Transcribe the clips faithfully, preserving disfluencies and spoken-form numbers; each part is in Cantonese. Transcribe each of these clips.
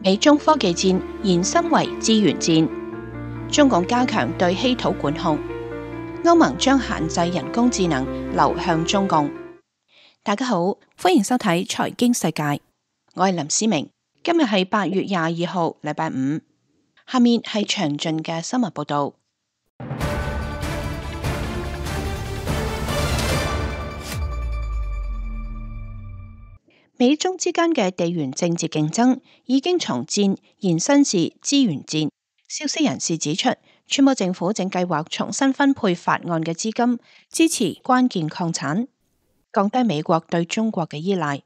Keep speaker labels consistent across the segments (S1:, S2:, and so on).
S1: 美中科技戰延伸為資源戰，中共加強對稀土管控，歐盟將限制人工智能流向中共。大家好，歡迎收睇財經世界，我係林思明。今日係八月廿二號，禮拜五。下面係詳盡嘅新聞報道。美中之間嘅地緣政治競爭已經從戰延伸至資源戰。消息人士指出，川普政府正計劃重新分配法案嘅資金，支持關鍵礦產，降低美國對中國嘅依賴。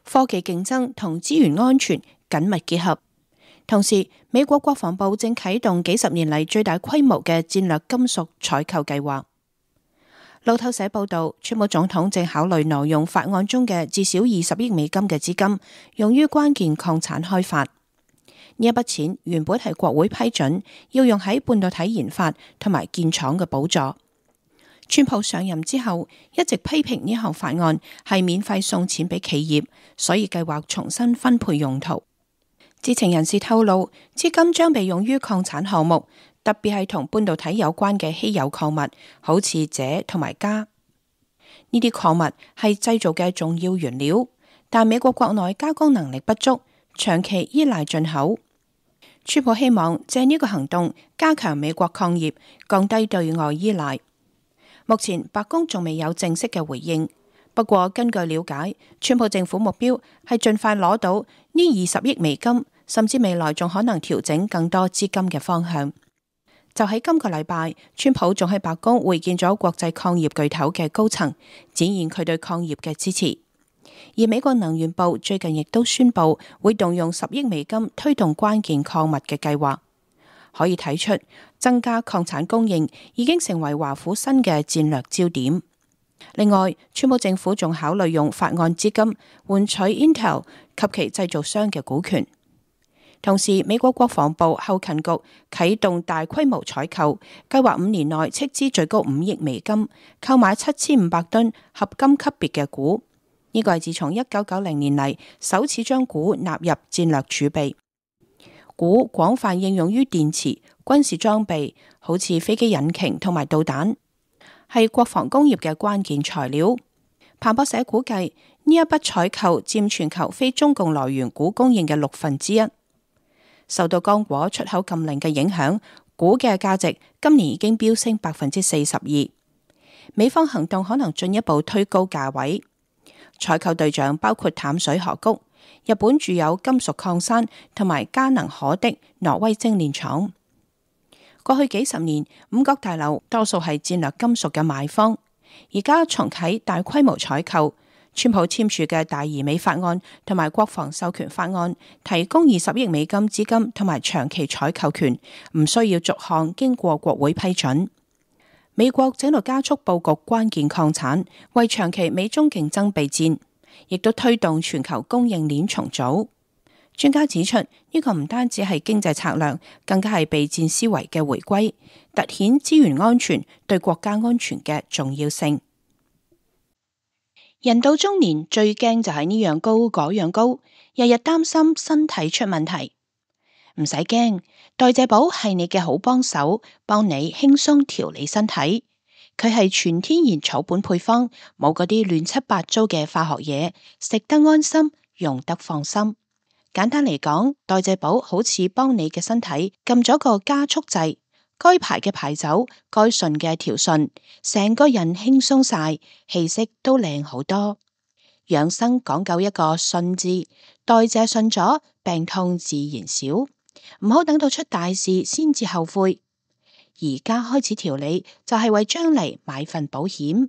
S1: 科技競爭同資源安全緊密結合。同時，美國國防部正啟動幾十年嚟最大規模嘅戰略金屬採購計劃。路透社報道，川普總統正考慮挪用法案中嘅至少二十億美金嘅資金，用於關鍵礦產開發。呢一筆錢原本係國會批准，要用喺半導體研發同埋建廠嘅補助。川普上任之後，一直批評呢項法案係免費送錢俾企業，所以計劃重新分配用途。知情人士透露，資金將被用於礦產項目，特別係同半導體有關嘅稀有礦物，好似鍺同埋鎵。呢啲礦物係製造嘅重要原料，但美國國內加工能力不足，長期依賴進口。川普希望借呢個行動加強美國礦業，降低對外依賴。目前白宮仲未有正式嘅回應，不過根據了解，川普政府目標係盡快攞到呢二十億美金，甚至未來仲可能調整更多資金嘅方向。就喺今個禮拜，川普仲喺白宮會見咗國際礦業巨頭嘅高層，展現佢對礦業嘅支持。而美國能源部最近亦都宣布會動用十億美金推動關鍵礦物嘅計劃。可以睇出，增加礦產供應已經成為華府新嘅戰略焦點。另外，川普政府仲考慮用法案資金換取 Intel 及其製造商嘅股權。同時，美國國防部後勤局啟動大規模採購，計劃五年內斥資最高五億美金，購買七千五百噸合金級別嘅鈷。呢個係自從一九九零年嚟首次將鈷納入戰略儲備。鈷廣泛應用於電池、軍事裝備，好似飛機引擎同埋導彈，係國防工業嘅關鍵材料。彭博社估計，呢一筆採購佔全球非中共來源鈷供應嘅六分之一。受到剛果出口禁令嘅影響，鈷嘅價值今年已經飆升百分之四十二。美方行動可能進一步推高價位。採購對象包括淡水河谷、日本住有金屬礦山同埋嘉能可的挪威精煉廠。過去幾十年，五角大樓多數係戰略金屬嘅買方，而家重啟大規模採購。川普簽署嘅大而美法案同埋國防授權法案，提供二十億美金資金同埋長期採購權，唔需要逐項經過國會批准。美國正度加速布局關鍵礦產，為長期美中競爭備戰，亦都推動全球供應鏈重組。專家指出，呢、這個唔單止係經濟策略，更加係備戰思維嘅回歸，凸顯資源安全對國家安全嘅重要性。人到中年最驚就係呢樣高嗰樣高，日日擔心身體出問題。唔使驚，代謝寶係你嘅好幫手，幫你輕鬆調理身體。佢係全天然草本配方，冇嗰啲亂七八糟嘅化學嘢，食得安心，用得放心。簡單嚟講，代謝寶好似幫你嘅身體撳咗個加速掣。該排嘅排走，該順嘅調順，成個人輕鬆晒，氣息都靚好多。養生講究一個順字，代謝順咗，病痛自然少。唔好等到出大事先至後悔。而家開始調理，就係為將嚟買份保險。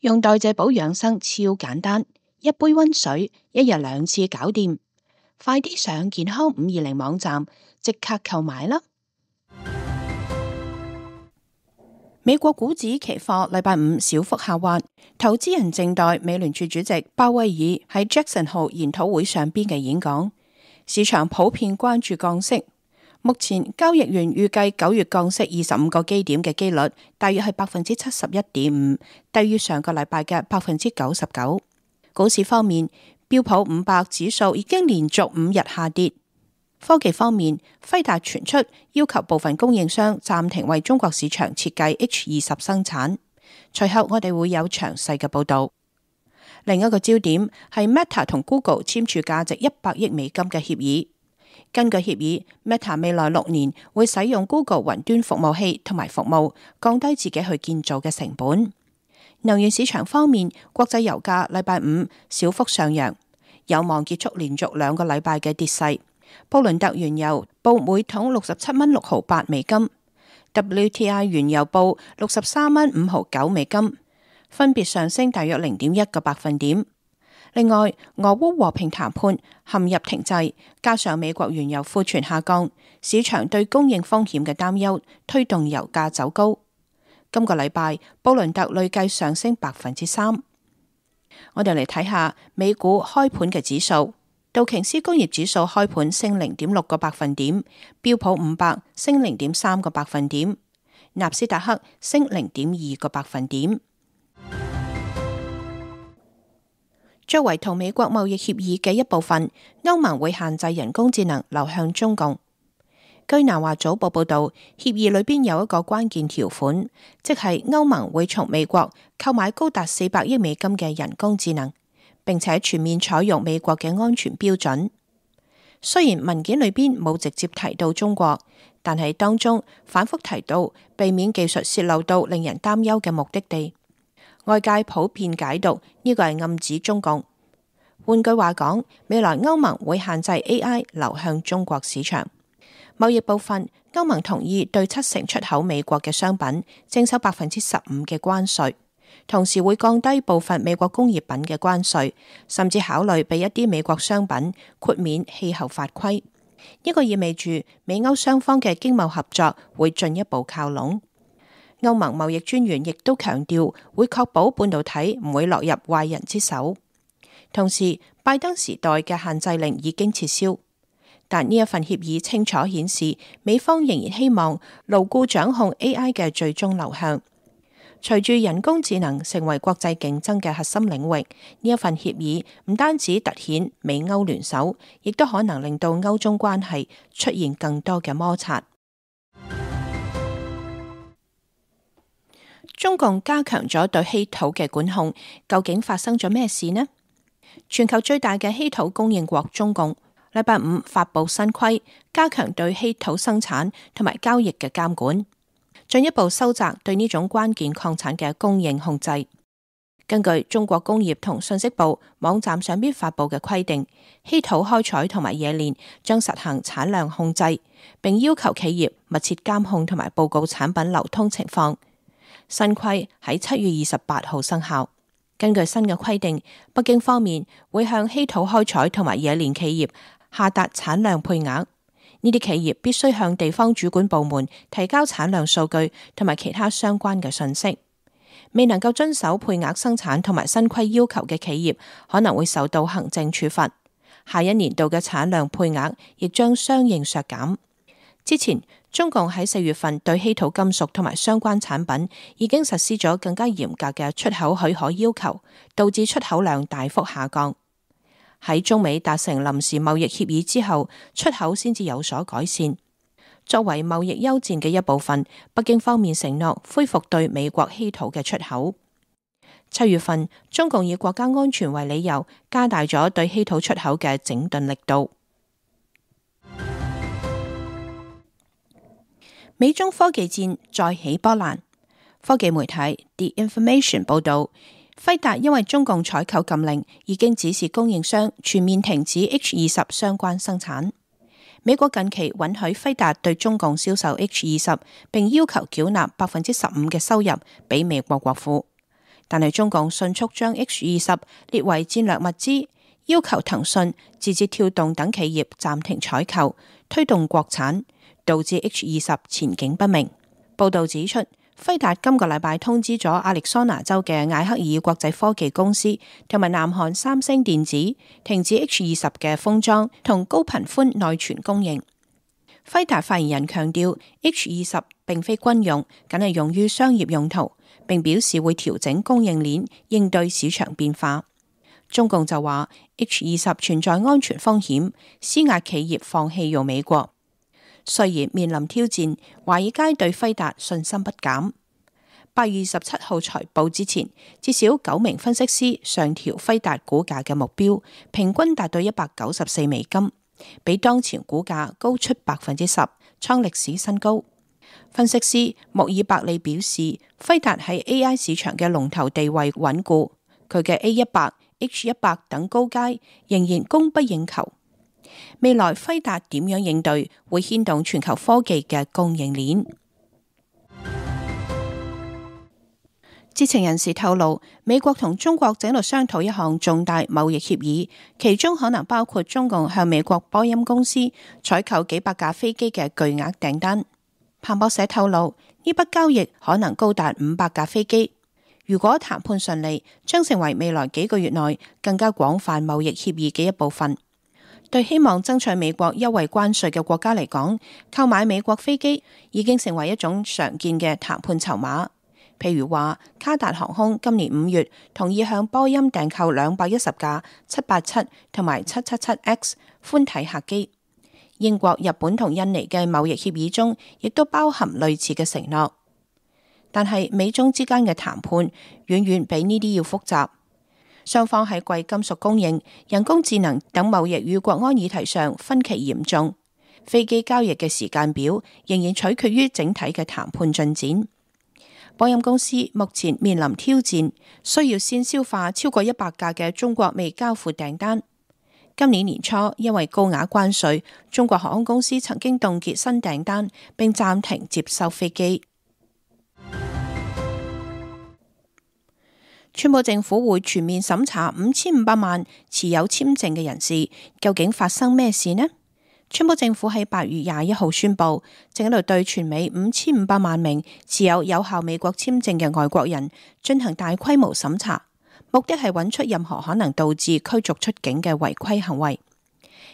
S1: 用代謝寶養生超簡單，一杯溫水，一日兩次搞掂。快啲上健康五二零網站，即刻購買啦！美國股指期貨禮拜五小幅下滑，投資人靜待美聯儲主席鮑威爾喺 Jackson Hole 研討會上邊嘅演講。市場普遍關注降息，目前交易員預計九月降息二十五個基點嘅機率大約係百分之七十一點五，低於上個禮拜嘅百分之九十九。股市方面，標普五百指數已經連續五日下跌。科技方面，輝達傳出要求部分供應商暫停為中國市場設計 H 二十生產，隨後我哋會有詳細嘅報導。另一個焦點係 Meta 同 Google 簽署價值一百億美金嘅協議。根據協議 ，Meta 未來六年會使用 Google 雲端服務器同埋服務，降低自己去建造嘅成本。能源市場方面，國際油價禮拜五小幅上揚，有望結束連續兩個禮拜嘅跌勢。布倫特原油報每桶六十七蚊六毫八美金 ，W T I 原油報六十三蚊五毫九美金，分別上升大約零點一個百分點。另外，俄烏和平談判陷入停滯，加上美國原油庫存下降，市場對供應風險嘅擔憂推動油價走高。今個禮拜，布倫特累計上升百分之三。我哋嚟睇下美股開盤嘅指數，道瓊斯工業指數開盤升零點六個百分點，標普五百升零點三個百分點，納斯達克升零點二個百分點。作為同美國貿易協議嘅一部分，歐盟會限制人工智能流向中共。據南華早報報道，協議裏邊有一個關鍵條款，即係歐盟會從美國購買高達四百億美金嘅人工智能，並且全面採用美國嘅安全標準。雖然文件裏邊冇直接提到中國，但係當中反覆提到避免技術洩漏到令人擔憂嘅目的地。外界普遍解讀呢個係暗指中共。換句話講，未來歐盟會限制 A I 流向中國市場。貿易部分，歐盟同意對七成出口美國嘅商品徵收百分之十五嘅關稅，同時會降低部分美國工業品嘅關稅，甚至考慮俾一啲美國商品豁免氣候法規。呢個意味住美歐雙方嘅經貿合作會進一步靠攏。歐盟貿易專員亦都強調會確保半導體唔會落入壞人之手。同時，拜登時代嘅限制令已經撤銷，但呢一份協議清楚顯示美方仍然希望牢固掌控 A I 嘅最終流向。隨住人工智能成為國際競爭嘅核心領域，呢一份協議唔單止凸顯美歐聯手，亦都可能令到歐中關係出現更多嘅摩擦。中共加強咗對稀土嘅管控，究竟發生咗咩事呢？全球最大嘅稀土供應國中共，禮拜五發布新規，加強對稀土生產同埋交易嘅監管，進一步收窄對呢種關鍵礦產嘅供應控制。根據中國工業同信息部網站上邊發布嘅規定，稀土開採同埋冶煉將實行產量控制，並要求企業密切監控同埋報告產品流通情況。新規喺七月二十八號生效。根據新嘅規定，北京方面會向稀土開採同埋冶煉企業下達產量配額。呢啲企業必須向地方主管部門提交產量數據同埋其他相關嘅信息。未能夠遵守配額生產同埋新規要求嘅企業，可能會受到行政處罰。下一年度嘅產量配額亦將相應削減。之前，中共喺四月份對稀土金屬同埋相關產品已經實施咗更加嚴格嘅出口許可要求，導致出口量大幅下降。喺中美達成臨時貿易協議之後，出口先至有所改善。作為貿易休戰嘅一部分，北京方面承諾恢復對美國稀土嘅出口。七月份，中共以國家安全為理由，加大咗對稀土出口嘅整頓力度。美中科技戰再起波瀾。科技媒體 The Information 報道，輝達因為中共採購禁令，已經指示供應商全面停止 H 二十相關生產。美國近期允許輝達對中共銷售 H 二十，並要求繳納百分之十五嘅收入俾美國國庫，但係中共迅速將 H 二十列為戰略物資，要求騰訊、字節跳動等企業暫停採購，推動國產，導致 H 二十前景不明。報道指出，輝達今個禮拜通知咗亞利桑那州嘅艾克爾國際科技公司同埋南韓三星電子停止 H 二十嘅封裝同高頻寬內存供應。輝達發言人強調 ，H 二十並非軍用，僅係用於商業用途，並表示會調整供應鏈應對市場變化。中共就話 H 二十存在安全風險，施壓企業放棄用美國。雖然面臨挑戰，華爾街對輝達信心不減。八月二十七號財報之前，至少九名分析師上調輝達股價嘅目標，平均達到一百九十四美金，比當前股價高出百分之十，創歷史新高。分析師穆爾伯利表示，輝達喺 A I 市場嘅龍頭地位穩固，佢嘅 A 一百、H 一百等高階仍然供不應求。未來輝達點樣應對，會牽動全球科技嘅供應鏈。知情人士透露，美國同中國正喺度商討一項重大貿易協議，其中可能包括中共向美國波音公司採購幾百架飛機嘅巨額訂單。彭博社透露，呢筆交易可能高達五百架飛機。如果談判順利，將成為未來幾個月內更加廣泛貿易協議嘅一部分。對希望爭取美國優惠關稅嘅國家嚟講，購買美國飛機已經成為一種常見嘅談判籌碼。譬如話，卡達航空今年五月同意向波音訂購兩百一十架七八七同埋七七七 X 寬體客機。英國、日本同印尼嘅貿易協議中，亦都包含類似嘅承諾。但係美中之間嘅談判遠遠比呢啲要複雜。雙方喺貴金屬供應、人工智能等貿易與國安議題上分歧嚴重。飛機交易嘅時間表仍然取決於整體嘅談判進展。波音公司目前面臨挑戰，需要先消化超過一百架嘅中國未交付訂單。今年年初，因為高額關稅，中國航空公司曾經凍結新訂單，並暫停接收飛機。川普政府會全面審查五千五百萬持有簽證嘅人士，究竟發生咩事呢？川普政府喺八月廿一號宣布，正喺度對全美五千五百萬名持有有效美國簽證嘅外國人進行大規模審查，目的係揾出任何可能導致驅逐出境嘅違規行為。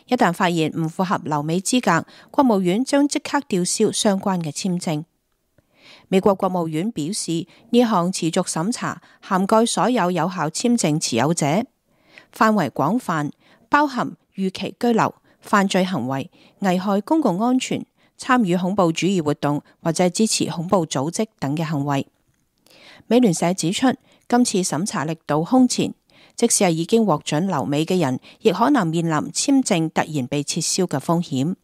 S1: 一旦發現唔符合留美資格，國務院將即刻吊銷相關嘅簽證。美國國務院表示，呢項持續審查涵蓋所有有效簽證持有者，範圍廣泛，包含逾期居留、犯罪行為、危害公共安全、參與恐怖主義活動或者支持恐怖組織等嘅行為。美聯社指出，今次審查力度空前，即使係已經獲准留美嘅人，亦可能面臨簽證突然被撤銷嘅風險。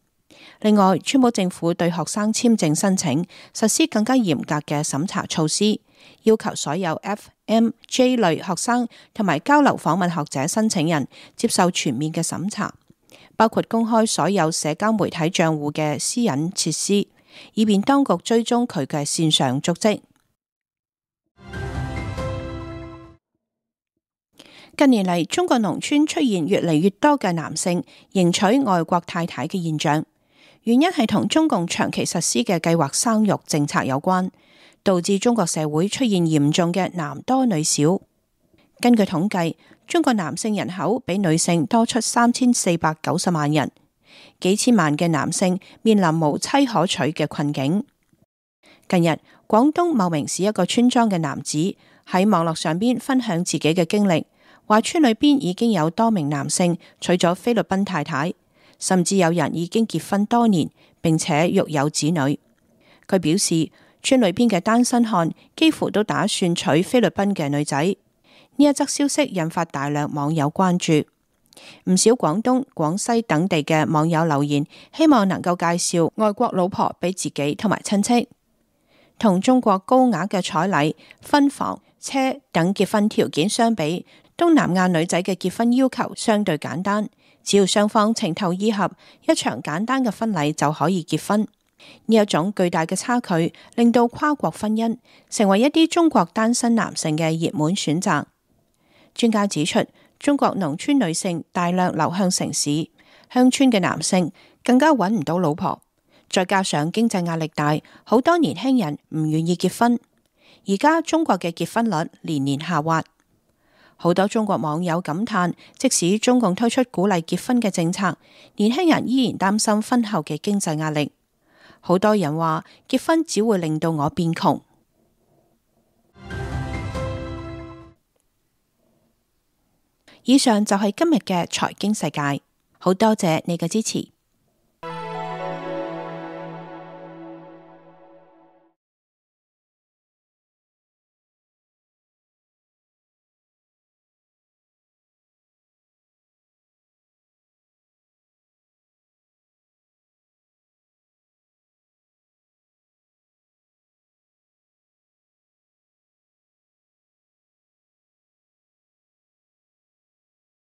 S1: 另外，川普政府對學生簽證申請實施更加嚴格嘅審查措施，要求所有 F M J 類學生同埋交流訪問學者申請人接受全面嘅審查，包括公開所有社交媒體賬戶嘅私隱設施，以便當局追蹤佢嘅線上足跡。近年嚟，中國農村出現越嚟越多嘅男性迎娶外國太太嘅現象。原因係同中共長期實施嘅計劃生育政策有關，導致中國社會出現嚴重嘅男多女少。根據統計，中國男性人口比女性多出三千四百九十萬人，幾千萬嘅男性面臨無妻可娶嘅困境。近日，廣東茂名市一個村莊嘅男子喺網絡上邊分享自己嘅經歷，話村裏邊已經有多名男性娶咗菲律賓太太。甚至有人已經結婚多年，並且育有子女。佢表示，村裏邊嘅單身漢幾乎都打算娶菲律賓嘅女仔。呢一則消息引發大量網友關注，唔少廣東、廣西等地嘅網友留言，希望能夠介紹外國老婆俾自己同埋親戚。同中國高額嘅彩禮、婚房、車等結婚條件相比，東南亞女仔嘅結婚要求相對簡單。只要雙方情投意合，一場簡單嘅婚禮就可以結婚。呢一種巨大嘅差距，令到跨國婚姻成為一啲中國單身男性嘅熱門選擇。專家指出，中國農村女性大量流向城市，鄉村嘅男性更加揾唔到老婆，再加上經濟壓力大，好多年輕人唔願意結婚。而家中國嘅結婚率年年下滑。好多中國網友感嘆，即使中共推出鼓勵結婚嘅政策，年輕人依然擔心婚後嘅經濟壓力。好多人話，結婚只會令到我變窮。以上就係今日嘅財經世界，好多謝你嘅支持。